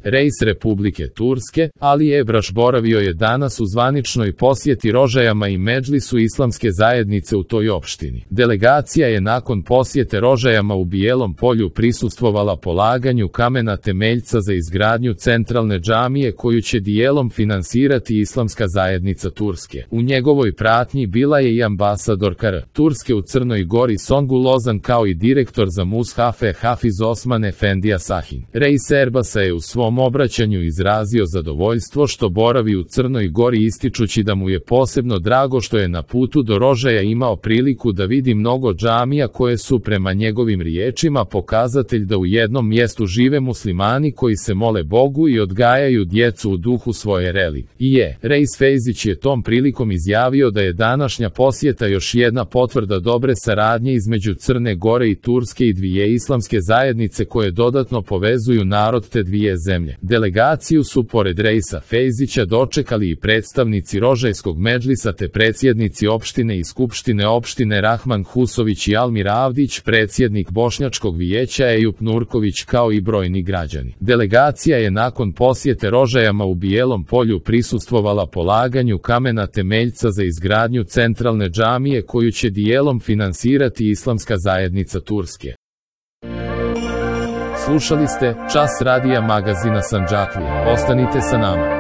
Reis Republike Turske, Ali Ebraš boravio je danas u zvaničnoj posjeti Rožajama i Medžlisu islamske zajednice u toj opštini. Delegacija je nakon posjete Rožajama u Bijelom Polju prisustvovala polaganju kamena temeljca za izgradnju centralne džamije koju će dijelom finansirati islamska zajednica Turske. U njegovoj pratnji bila je i ambasadorka Turske u Crnoj Gori Songu Lozan kao i direktor za Mushafe Hafiz Osman Efendija Sahin. Reis Erbasa je u svom obraćanju izrazio zadovoljstvo što boravi u Crnoj Gori ističući da mu je posebno drago što je na putu do Rožaja imao priliku da vidi mnogo džamija koje su prema njegovim riječima pokazatelj da u jednom mjestu žive muslimani koji se mole Bogu i odgajaju djecu u duhu svoje religije. Reis Fejzić je tom prilikom izjavio da je današnja posjeta još jedna potvrda dobre saradnje između Crne Gore i Turske i dvije islamske zajednice koje dodatno povezuju narod te dvije zemlje. Delegaciju su pored Reisa Fejzića dočekali i predstavnici Rožajskog Medžlisa te predsjednici opštine i skupštine opštine Rahman Husović i Almir Avdić, predsjednik Bošnjačkog vijeća Ejup Nurković kao i brojni građani. Delegacija je nakon posjete Rožajama u Bijelom Polju prisustvovala polaganju kamena temeljca za izgradnju centralne džamije koju će dijelom finansirati islamska zajednica Turske. Slušali ste Čas radija magazina Sandžaklija. Ostanite sa nama.